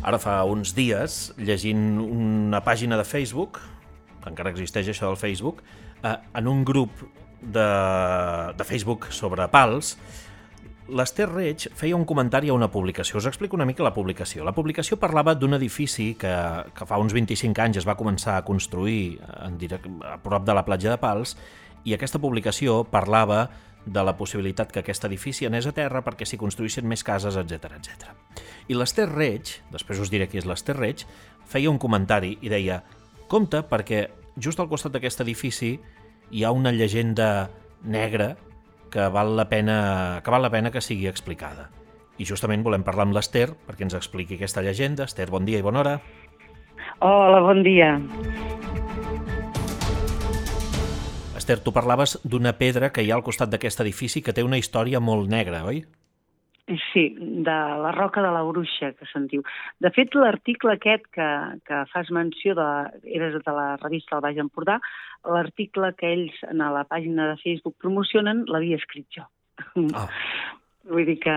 ara fa uns dies, llegint una pàgina de Facebook, que encara existeix això del Facebook, en un grup de Facebook sobre pals, l'Ester Reig feia un comentari a una publicació. Us explico una mica la publicació. La publicació parlava d'un edifici que fa uns 25 anys es va començar a construir a prop de la platja de Pals, i aquesta publicació parlava de la possibilitat que aquest edifici anés a terra perquè s'hi construïssin més cases, etc etc. I l'Ester Reig, després us diré qui és l'Ester Reig, feia un comentari i deia: compte, perquè just al costat d'aquest edifici hi ha una llegenda negra que val la pena que sigui explicada. I justament volem parlar amb l'Ester perquè ens expliqui aquesta llegenda. Ester, bon dia i bona hora. Hola, bon dia. Ester, tu parlaves d'una pedra que hi ha al costat d'aquest edifici que té una història molt negra, oi? Sí, de la Roca de la Bruixa, que se'n diu. De fet, l'article aquest que fas menció, era de la revista El Baix Empordà, l'article que ells a la pàgina de Facebook promocionen l'havia escrit jo. Ah. Vull dir que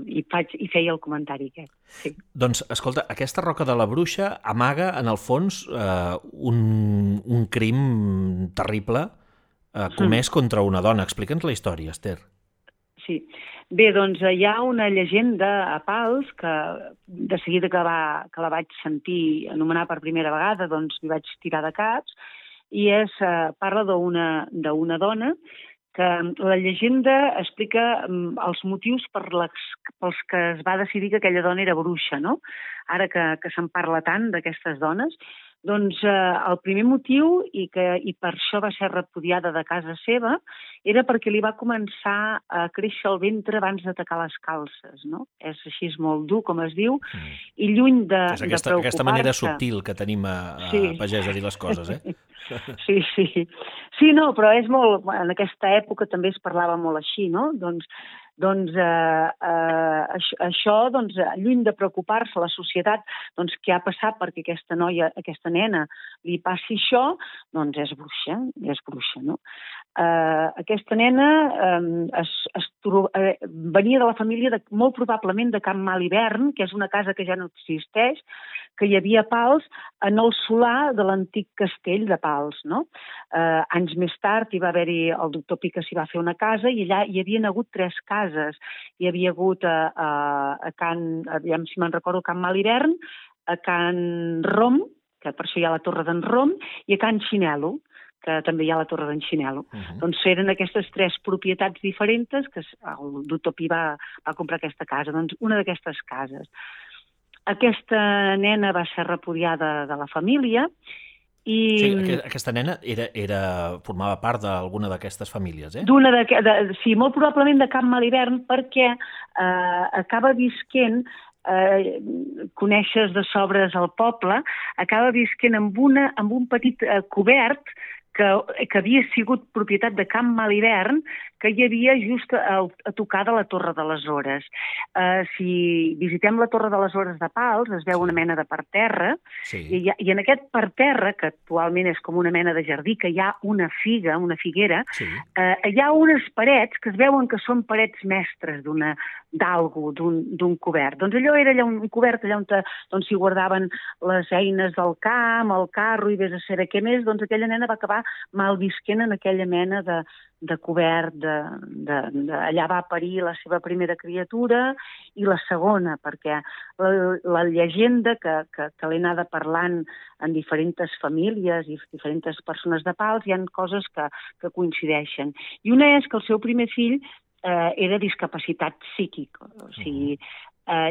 hi feia el comentari aquest. Sí. Doncs, escolta, aquesta Roca de la Bruixa amaga, en el fons, un crim terrible comès contra una dona. Explica'ns la història, Ester. Sí. Bé, doncs hi ha una llegenda a Pals que de seguida que la vaig sentir anomenar per primera vegada, doncs m'hi vaig tirar de caps, i parla d'una dona que la llegenda explica els motius pels que es va decidir que aquella dona era bruixa, no? Ara que se'n parla tant d'aquestes dones, doncs el primer motiu, i per això va ser repudiada de casa seva, era perquè li va començar a créixer el ventre abans de tacar les calces, no? És així molt dur, com es diu, i lluny de preocupar-se... Aquesta manera subtil que tenim a pagès a dir les coses, eh? Sí. Sí, no, però és molt... En aquesta època també es parlava molt així, no? Doncs això, lluny de preocupar-se la societat, què ha passat perquè aquesta nena li passi això, doncs és bruixa, no? Aquesta nena venia de la família molt probablement de Can Malhivern, que és una casa que ja no existeix, que hi havia a Pals en el solar de l'antic castell de Pals, no? Anys més tard hi va haver-hi, el doctor Pica s'hi va fer una casa i allà hi havien hagut 3 cases. Hi havia hagut a Can, aviam si me'n recordo, Can Malhivern, a Can Rom, que per això hi ha la Torre d'en Rom, i a Can Xinelo, que també hi ha la Torre d'en Xinelo. Doncs eren aquestes 3 propietats diferents que el doctor Pi va comprar aquesta casa. Doncs una d'aquestes cases. Aquesta nena va ser repudiada de la família i... Sí, aquesta nena formava part d'alguna d'aquestes famílies, eh? Sí, molt probablement de Can Malhivern, perquè acaba visquent, coneixes de sobres el poble, acaba visquent amb un petit cobert que havia sigut propietat de Can Malhivern, que hi havia just a tocar de la Torre de les Hores. Si visitem la Torre de les Hores de Pals, es veu una mena de parterre, i en aquest parterre, que actualment és com una mena de jardí, que hi ha una figuera, hi ha unes parets que es veuen que són parets mestres d'algú, d'un cobert. Doncs allò era un cobert allà on s'hi guardaven les eines del camp, el carro i vés a saber què més, doncs aquella nena va acabar malvisquent en aquella mena de cobert, allà va parir la seva primera criatura i la segona, perquè la llegenda que l'he anada parlant en diferents famílies i diferents persones de Pals, hi ha coses que coincideixen. I una és que el seu primer fill era discapacitat psíquica, o sigui,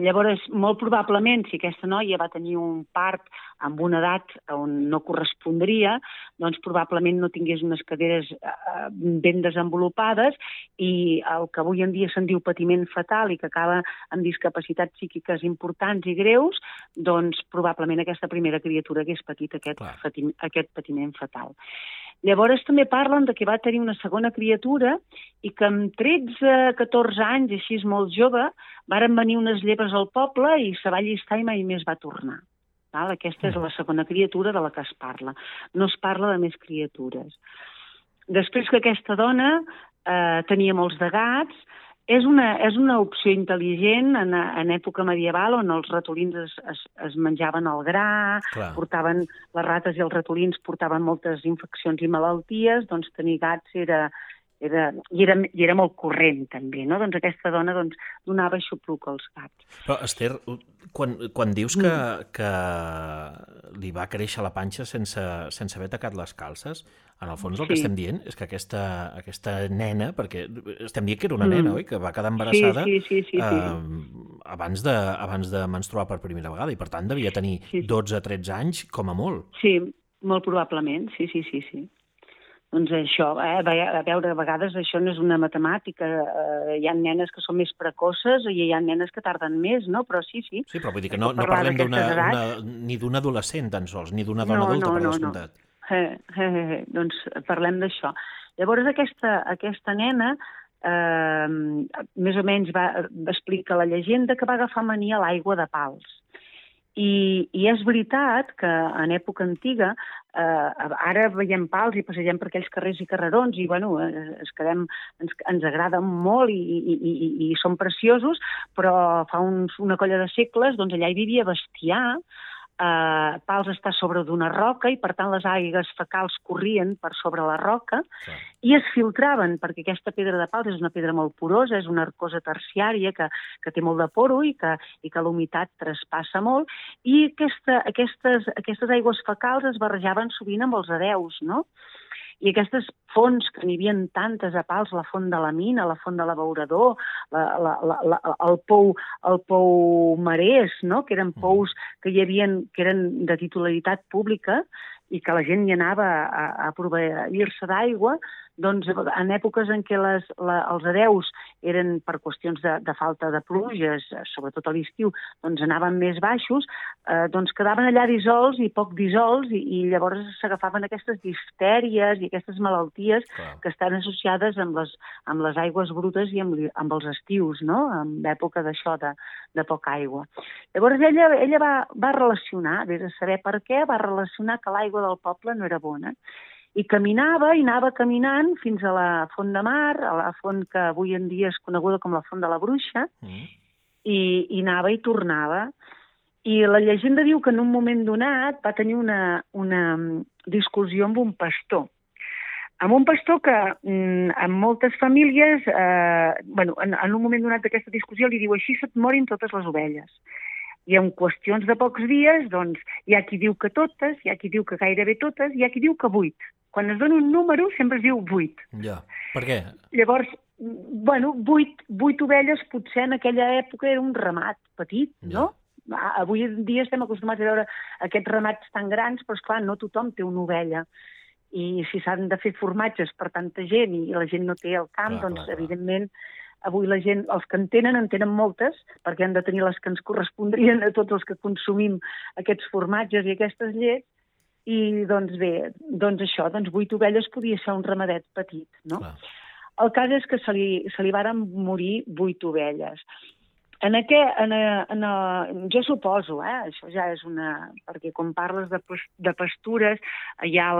llavors, molt probablement, si aquesta noia va tenir un part amb una edat on no correspondria, doncs probablement no tingués unes caderes ben desenvolupades i el que avui en dia se'n diu patiment fatal i que acaba amb discapacitats psíquiques importants i greus, doncs probablement aquesta primera criatura hagués patit aquest patiment fatal. Llavors també parlen que va tenir una segona criatura i que amb 13-14 anys, així és molt jove, varen venir unes llebres al poble i se va allistar i mai més va tornar. Aquesta és la segona criatura de la que es parla. No es parla de més criatures. Després que aquesta dona tenia molts de gats És una opció intel·ligent en època medieval on els ratolins es menjaven el gra, portaven les rates i els ratolins portaven moltes infeccions i malalties, doncs tenir gats era molt corrent, també, no? Doncs aquesta dona donava aixopluc als gats. Però, Esther, quan dius que li va créixer la panxa sense haver tacat les calces, en el fons el que estem dient és que aquesta nena, perquè estem dient que era una nena, oi? Que va quedar embarassada abans de menstruar per primera vegada i per tant devia tenir 12-13 anys com a molt. Sí, molt probablement, sí. Doncs això, a veure, a vegades això no és una matemàtica, hi ha nenes que són més precoces i hi ha nenes que tarden més, no? Però sí. Sí, però vull dir que no parlem ni d'una adolescent tan sols, ni d'una dona adulta, per descomptat. Doncs parlem d'això. Llavors aquesta nena més o menys va explicar la llegenda que va agafar mania a l'aigua de Pals. I és veritat que en època antiga, ara veiem Pals i passegem per aquells carrers i carrerons i ens agraden molt i són preciosos, però fa una colla de segles allà hi vivia bestiar. Pals està sobre d'una roca i per tant les aigues fecals corrien per sobre la roca i es filtraven, perquè aquesta pedra de Pals és una pedra molt porosa, és una arcosa terciària que té molt de poro i que la humitat traspassa molt, i aquestes aigües fecals es barrejaven sovint amb els hereus, no? I aquestes fonts, que n'hi havia tantes a Pals, la font de la Mina, la font de l'Abeurador, el pou Marès, no? Que eren pous que eren de titularitat pública i que la gent hi anava a proveir-se d'aigua, doncs en èpoques en què els hereus eren per qüestions de falta de pluges, sobretot a l'estiu, doncs anaven més baixos, doncs quedaven allà dissolts i poc dissolts i llavors s'agafaven aquestes diftèries i aquestes malalties que estan associades amb les aigües brutes i amb els estius, no? En època d'això, de poca aigua. Llavors ella va relacionar, des de saber per què, va relacionar que l'aigua del poble no era bona. I anava caminant fins a la Font de Mar, a la font que avui en dia és coneguda com la Font de la Bruixa, i anava i tornava. I la llegenda diu que en un moment donat va tenir una discussió amb un pastor. Amb un pastor que en moltes famílies, en un moment donat d'aquesta discussió li diu així se't morin totes les ovelles. I en qüestions de pocs dies, doncs, hi ha qui diu que totes, hi ha qui diu que gairebé totes, hi ha qui diu que 8. Quan es dona un número sempre es diu 8. Ja, per què? Llavors, 8 ovelles potser en aquella època era un ramat petit, no? Avui en dia estem acostumats a veure aquests ramats tan grans, però esclar, no tothom té una ovella. I si s'han de fer formatges per tanta gent i la gent no té el camp, doncs evidentment avui la gent, els que en tenen moltes, perquè han de tenir les que ens correspondrien a tots els que consumim aquests formatges i aquestes llets, i doncs bé, doncs això, 8 ovelles podia ser un ramadet petit, no? El cas és que se li varen morir 8 ovelles. Jo suposo, això ja és perquè quan parles de pastures, hi ha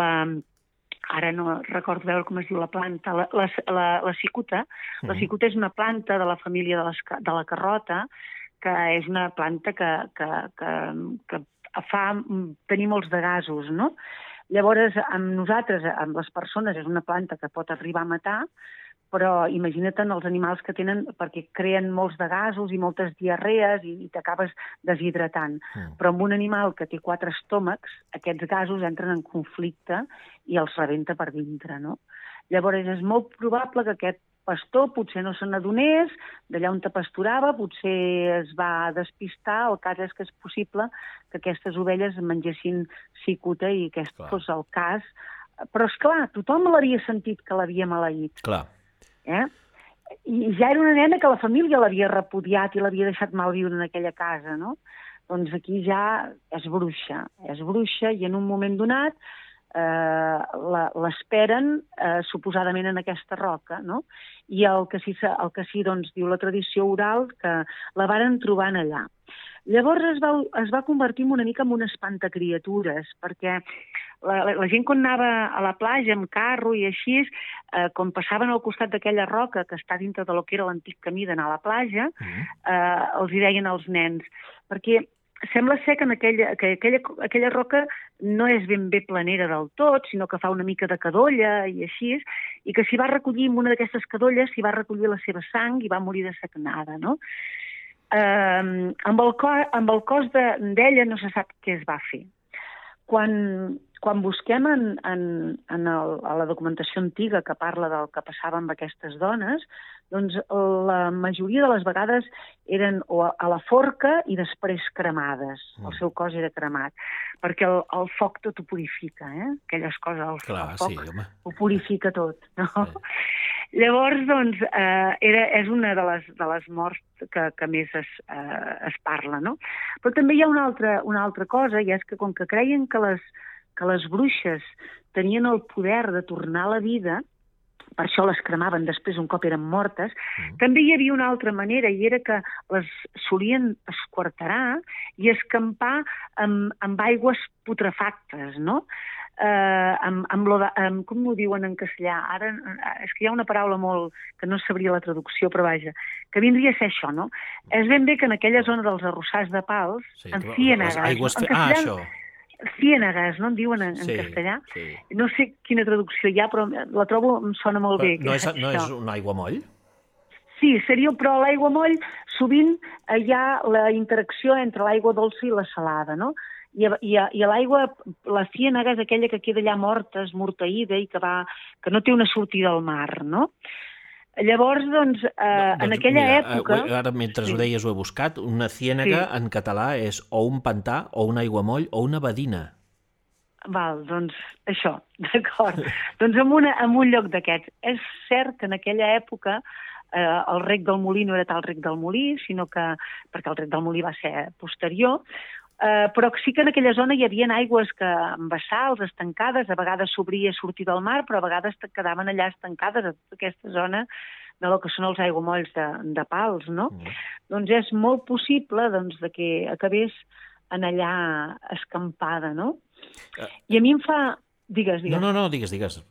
ara no recordo veure com es diu la planta, la cicuta. La cicuta és una planta de la família de la carrota, que és una planta que fa tenir molts de gasos, no? Llavors, amb nosaltres, amb les persones, és una planta que pot arribar a matar, però imagina't els animals que tenen, perquè creen molts de gasos i moltes diarrees i t'acabes deshidratant. Però amb un animal que té 4 estómacs, aquests gasos entren en conflicte i els rebenta per dintre, no? Llavors és molt probable que aquest pastor potser no se n'adonés, d'allà on te pasturava, potser es va despistar, el cas és que és possible que aquestes ovelles mengessin cicuta i aquest fos el cas. Però, esclar, tothom l'havia sentit que l'havia maleït. Clar. I ja era una nena que la família l'havia repudiat i l'havia deixat malviure en aquella casa, no? Doncs aquí ja és bruixa i en un moment donat l'esperen suposadament en aquesta roca, no? I el que sí doncs, diu la tradició oral que la varen trobar allà. Llavors es va convertir una mica en un espantacriatures, perquè la gent quan anava a la platja amb carro i així, quan passaven al costat d'aquella roca que està dintre de lo que era l'antic camí d'anar a la platja, els hi deien als nens, perquè sembla ser que aquella roca no és ben bé planera del tot, sinó que fa una mica de cadolla i així, i que s'hi va recollir en una d'aquestes cadolles, s'hi va recollir la seva sang i va morir de sagnada, no? Amb el cos d'ella no se sap què es va fer. Quan busquem a la documentació antiga que parla del que passava amb aquestes dones, doncs la majoria de les vegades eren a la forca i després cremades. El seu cos era cremat, perquè el foc tot ho purifica, aquelles coses, el foc ho purifica tot, no? Sí. Llavors, doncs, és una de les morts que més es parla, no? Però també hi ha una altra cosa, i és que com que creien que les bruixes tenien el poder de tornar a la vida, per això les cremaven després un cop eren mortes, també hi havia una altra manera, i era que les solien esquarterar i escampar amb aigües putrefactes, no? Com ho diuen en castellà? Ara, és que hi ha una paraula molt que no sabria la traducció, però vaja, que vindria a ser això, no? És ben bé que en aquella zona dels arrossars de Pals, en ciènegues... això... Ciènegues, no en diuen en castellà? Sí. No sé quina traducció hi ha, però la trobo, em sona molt bé. No és un aiguamoll? Sí, però a l'aiguamoll sovint hi ha la interacció entre l'aigua dolça i la salada, no? I a l'aigua, la ciènega és aquella que queda allà morta, esmorteïda i que no té una sortida al mar, no? Llavors, doncs, en aquella època... Ara, mentre ho deies, ho he buscat. Una ciènega en català és o un pantà, o un aiguamoll, o una badina. Val, doncs això, d'acord. Doncs en un lloc d'aquests. És cert que en aquella època el rec del Molí no era tal rec del Molí, sinó que, perquè el rec del Molí va ser posterior, però sí que en aquella zona hi havia aigües embassals, estancades, a vegades s'obria sortir del mar, però a vegades quedaven allà estancades a tota aquesta zona de lo que són els aiguamolls de Pals, no? Doncs és molt possible que acabés en allà escampada, no? I a mi em fa... Digues. No, digues.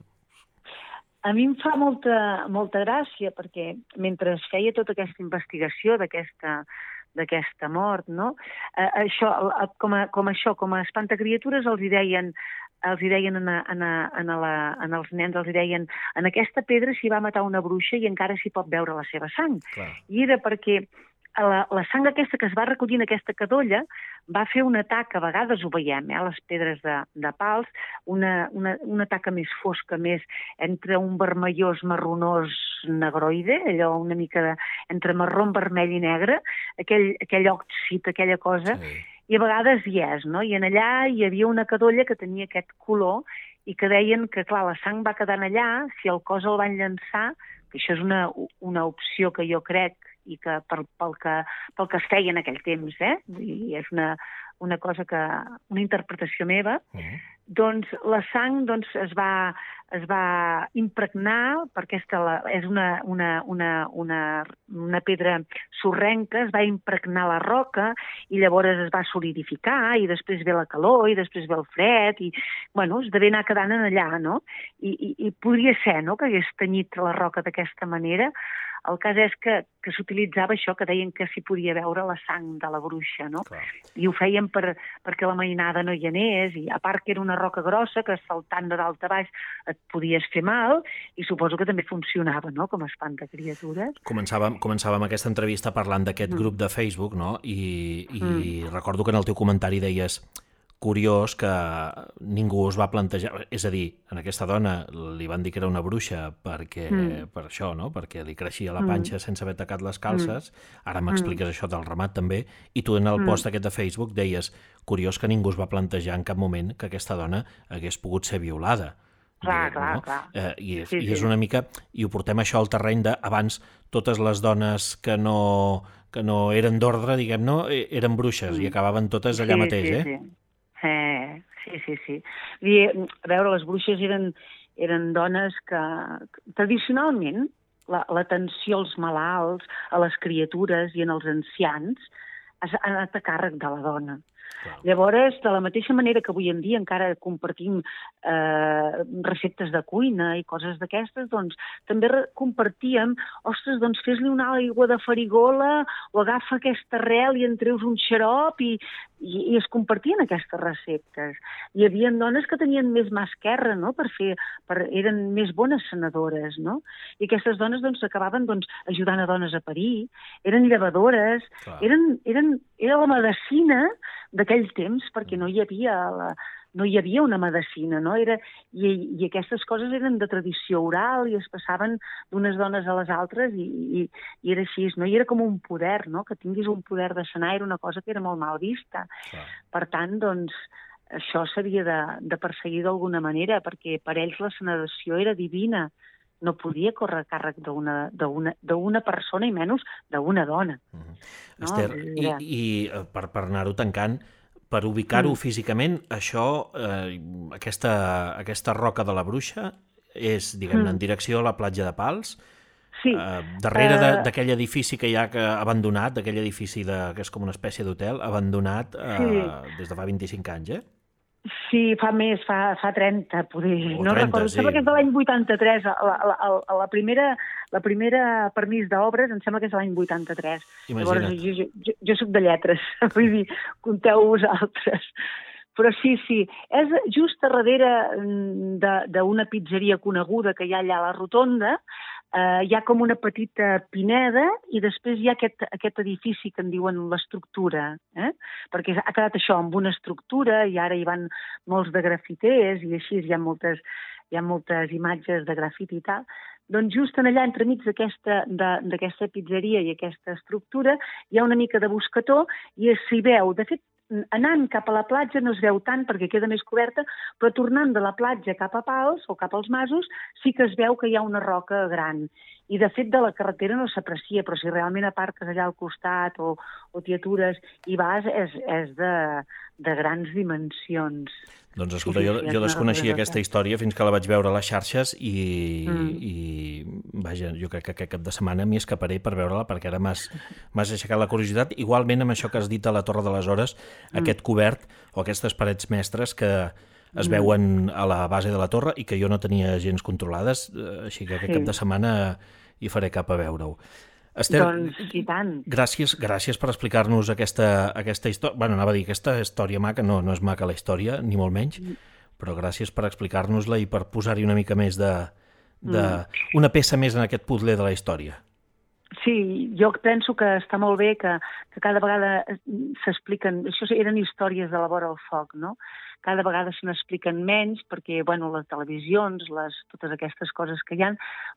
A mi em fa molta gràcia, perquè mentre es feia tota aquesta investigació d'aquesta mort, no? Això, com a espantacriatures els hi deien als nens, els hi deien en aquesta pedra s'hi va matar una bruixa i encara s'hi pot veure la seva sang. Clar. I era perquè la sang aquesta que es va recollir en aquesta cadolla va fer un atac, a vegades ho veiem, a les pedres de Pals, una taca més fosca, més entre un vermellós marronós negroide, allò una mica entre marró, vermell i negre, aquell òxid, aquella cosa, i a vegades hi és, no? I en allà hi havia una cadolla que tenia aquest color i que deien que, clar, la sang va quedant allà, si el cos el van llançar, que això és una opció que jo crec i que pel que es feia en aquell temps, i és una cosa una interpretació meva, doncs la sang es va impregnar, perquè és una pedra sorrenca, es va impregnar la roca i llavors es va solidificar i després ve la calor i després ve el fred i, bueno, es devia anar quedant allà, no? I podria ser, no?, que hagués tenyit la roca d'aquesta manera. El cas és que s'utilitzava això, que deien que s'hi podia veure la sang de la bruixa, no? Clar. I ho feien perquè la mainada no hi anés, i a part que era una roca grossa, que saltant de dalt a baix et podies fer mal, i suposo que també funcionava, no?, com a espantacriatures. Començàvem aquesta entrevista parlant d'aquest grup de Facebook, no?, i recordo que en el teu comentari deies... Curiós que ningú es va plantejar... És a dir, en aquesta dona li van dir que era una bruixa per això, no? Perquè li creixia la panxa sense haver tacat les calces. Ara m'expliques això del ramat també. I tu en el post aquest de Facebook deies curiós que ningú es va plantejar en cap moment que aquesta dona hagués pogut ser violada. Clar. I és una mica... I ho portem això al terreny d'abans totes les dones que no eren d'ordre, diguem, no, eren bruixes i acabaven totes allà mateix, Sí. A veure, les bruixes eren dones que tradicionalment l'atenció als malalts, a les criatures i en els ancians ha anat a càrrec de la dona. Llavors, de la mateixa manera que avui en dia encara compartim receptes de cuina i coses d'aquestes, doncs també compartíem, ostres, doncs fes-li una aigua de farigola o agafa aquesta arrel i en treus un xarop i es compartien aquestes receptes. Hi havia dones que tenien més mà esquerra, no?, eren més bones sanadores, no? I aquestes dones doncs acabaven ajudant a dones a parir, eren llevadores, era la medicina d'aquell temps, perquè no hi havia una medicina, no? I aquestes coses eren de tradició oral i es passaven d'unes dones a les altres i era així, no? I era com un poder, no? Que tinguis un poder de sanar era una cosa que era molt mal vista. Per tant, doncs, això s'havia de perseguir d'alguna manera, perquè per ells la sanació era divina. No podia córrer a càrrec d'una persona i menys d'una dona. Esther, i per anar-ho tancant, per ubicar-ho físicament, això, aquesta roca de la Bruixa és, diguem-ne, en direcció a la platja de Pals, darrere d'aquell edifici que hi ha abandonat, d'aquell edifici que és com una espècie d'hotel, abandonat des de fa 25 anys, Sí, fa més, fa 30, poder. No recordo, sembla que és de l'any 83. La primera permís d'obres em sembla que és de l'any 83. Imagina't. Llavors, jo soc de lletres, vull dir, compteu vosaltres. Però sí, és just a darrere d'una pizzeria coneguda que hi ha allà a la Rotonda. Hi ha com una petita pineda i després hi ha aquest edifici que en diuen l'estructura, perquè ha quedat això, amb una estructura, i ara hi van molts de grafiters i així hi ha moltes imatges de grafiti i tal. Doncs just allà, entremig d'aquesta pizzeria i aquesta estructura, hi ha una mica de bosquetó i s'hi veu. De fet, anant cap a la platja no es veu tant perquè queda més coberta, però tornant de la platja cap a Pals o cap als masos sí que es veu que hi ha una roca gran. I de fet de la carretera no s'aprecia, però si realment aparques allà al costat o t'hi atures i vas, és de grans dimensions. Doncs escolta, jo desconeixia aquesta història fins que la vaig veure a les xarxes i vaja, jo crec que aquest cap de setmana m'hi escaparé per veure-la perquè ara m'has aixecat la curiositat. Igualment amb això que has dit a la Torre de les Hores, aquest cobert o aquestes parets mestres que es veuen a la base de la torre i que jo no tenia gens controlades, així que aquest cap de setmana hi faré cap a veure-ho. Esther, doncs, i tant. Gràcies per explicar-nos aquesta història. Bueno, anava a dir, aquesta història maca, no és maca la història, ni molt menys, però gràcies per explicar-nos-la i per posar-hi una mica més una peça més en aquest puzzle de la història. Sí, jo penso que està molt bé que cada vegada s'expliquen... Això eren històries de la vora al foc, no? Cada vegada se n'expliquen menys perquè, bueno, les televisions, totes aquestes coses que hi ha,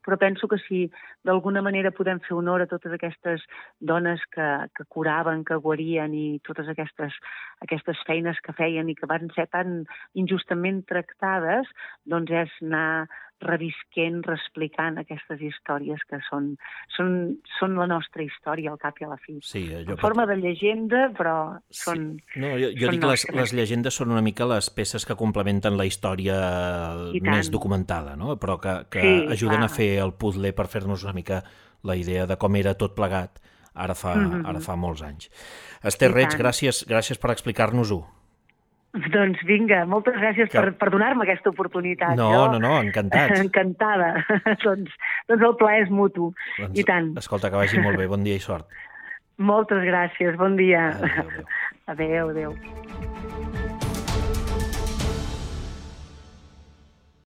però penso que si d'alguna manera podem fer honor a totes aquestes dones que curaven, que guarien i totes aquestes feines que feien i que van ser tan injustament tractades, doncs és anar revisquent, reexplicant aquestes històries que són la nostra història al cap i a la fi. Sí, en forma de llegenda, però són... No, jo dic que les llegendes són una mica les peces que complementen la història més documentada, no? Però que ajuden a fer el puzzle per fer-nos una mica la idea de com era tot plegat ara fa molts anys. Esther Reig, gràcies per explicar-nos-ho. Doncs vinga, moltes gràcies per donar-me aquesta oportunitat. No, encantats. Encantada. Doncs el plaer és mutu, i tant. Escolta, que vagi molt bé, bon dia i sort. Moltes gràcies, bon dia. Adéu. Adéu.